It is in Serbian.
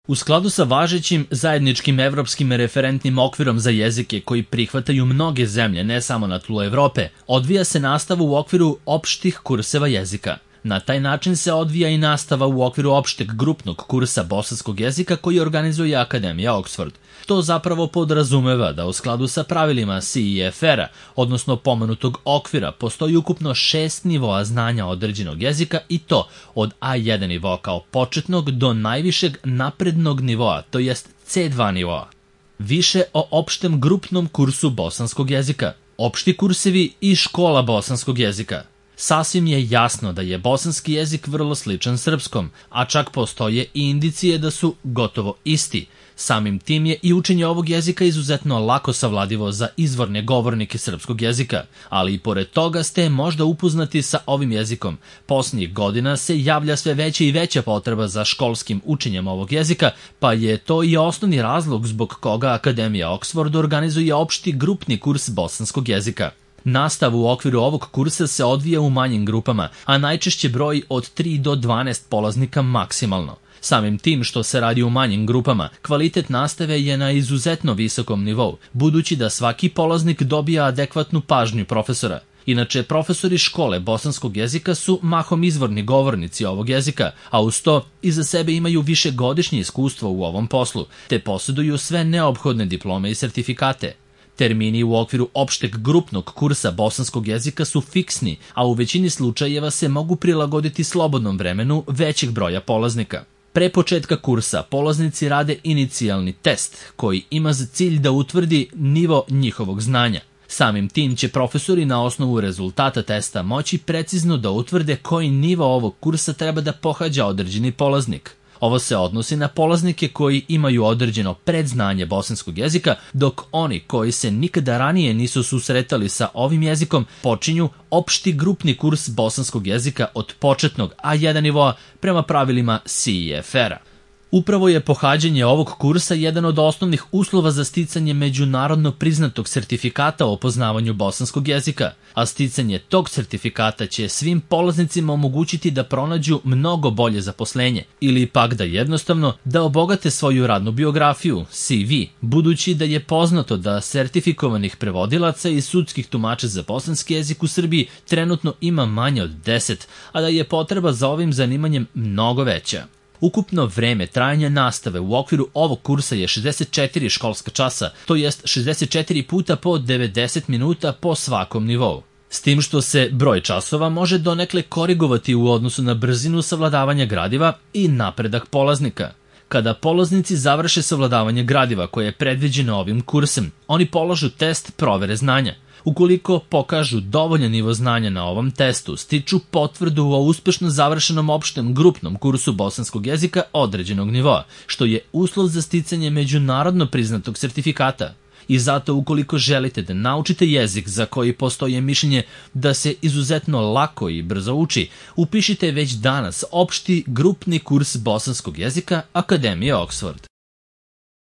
U skladu sa važećim zajedničkim evropskim referentnim okvirom za jezike koji prihvataju mnoge zemlje, ne samo na tlu Evrope, odvija se nastava u okviru opštih kurseva jezika. Na taj način se odvija i nastava u okviru opšteg grupnog kursa bosanskog jezika koji organizuje Akademija Oxford. To zapravo podrazumeva da u skladu sa pravilima CEFR-a, odnosno pomenutog okvira, postoji ukupno 6 nivoa znanja određenog jezika i to od A1 nivoa kao početnog do najvišeg naprednog nivoa, to jest C2 nivoa. Više o opštem grupnom kursu bosanskog jezika, opšti kursevi i škola bosanskog jezika. Sasvim je jasno da je bosanski jezik vrlo sličan srpskom, a čak postoje i indicije da su gotovo isti. Samim tim je i učenje ovog jezika izuzetno lako savladivo za izvorne govornike srpskog jezika, ali i pored toga ste možda upoznati sa ovim jezikom. Posljednjih godina se javlja sve veća i veća potreba za školskim učenjem ovog jezika, pa je to i osnovni razlog zbog koga Akademija Oxford organizuje opšti grupni kurs bosanskog jezika. Nastav u okviru ovog kursa se odvija u manjim grupama, a najčešće broji od 3 do 12 polaznika maksimalno. Samim tim što se radi u manjim grupama, kvalitet nastave je na izuzetno visokom nivou, budući da svaki polaznik dobija adekvatnu pažnju profesora. Inače, profesori škole bosanskog jezika su mahom izvorni govornici ovog jezika, a uz to iza sebe imaju višegodišnje iskustvo u ovom poslu, te posjeduju sve neophodne diplome i sertifikate. Termini u okviru opšteg grupnog kursa bosanskog jezika su fiksni, a u većini slučajeva se mogu prilagoditi slobodnom vremenu većeg broja polaznika. Pre početka kursa polaznici rade inicijalni test koji ima za cilj da utvrdi nivo njihovog znanja. Samim tim će profesori na osnovu rezultata testa moći precizno da utvrde koji nivo ovog kursa treba da pohađa određeni polaznik. Ovo se odnosi na polaznike koji imaju određeno predznanje bosanskog jezika, dok oni koji se nikada ranije nisu susretali sa ovim jezikom počinju opšti grupni kurs bosanskog jezika od početnog A1 nivoa prema pravilima CEFR-a. Upravo je pohađanje ovog kursa jedan od osnovnih uslova za sticanje međunarodno priznatog sertifikata o poznavanju bosanskog jezika, a sticanje tog sertifikata će svim polaznicima omogućiti da pronađu mnogo bolje zaposlenje ili pak da jednostavno da obogate svoju radnu biografiju, CV, budući da je poznato da sertifikovanih prevodilaca i sudskih tumača za bosanski jezik u Srbiji trenutno ima manje od 10, a da je potreba za ovim zanimanjem mnogo veća. Ukupno vreme trajanja nastave u okviru ovog kursa je 64 školska časa, to jest 64 puta po 90 minuta po svakom nivou. S tim što se broj časova može donekle korigovati u odnosu na brzinu savladavanja gradiva i napredak polaznika. Kada polaznici završe savladavanje gradiva koje je predviđeno ovim kursem, oni polažu test provere znanja. Ukoliko pokažu dovoljan nivo znanja na ovom testu, stiču potvrdu o uspešno završenom opštem grupnom kursu bosanskog jezika određenog nivoa, što je uslov za sticanje međunarodno priznatog sertifikata. I zato ukoliko želite da naučite jezik za koji postoji mišljenje da se izuzetno lako i brzo uči, upišite već danas opšti grupni kurs bosanskog jezika Akademije Oxford.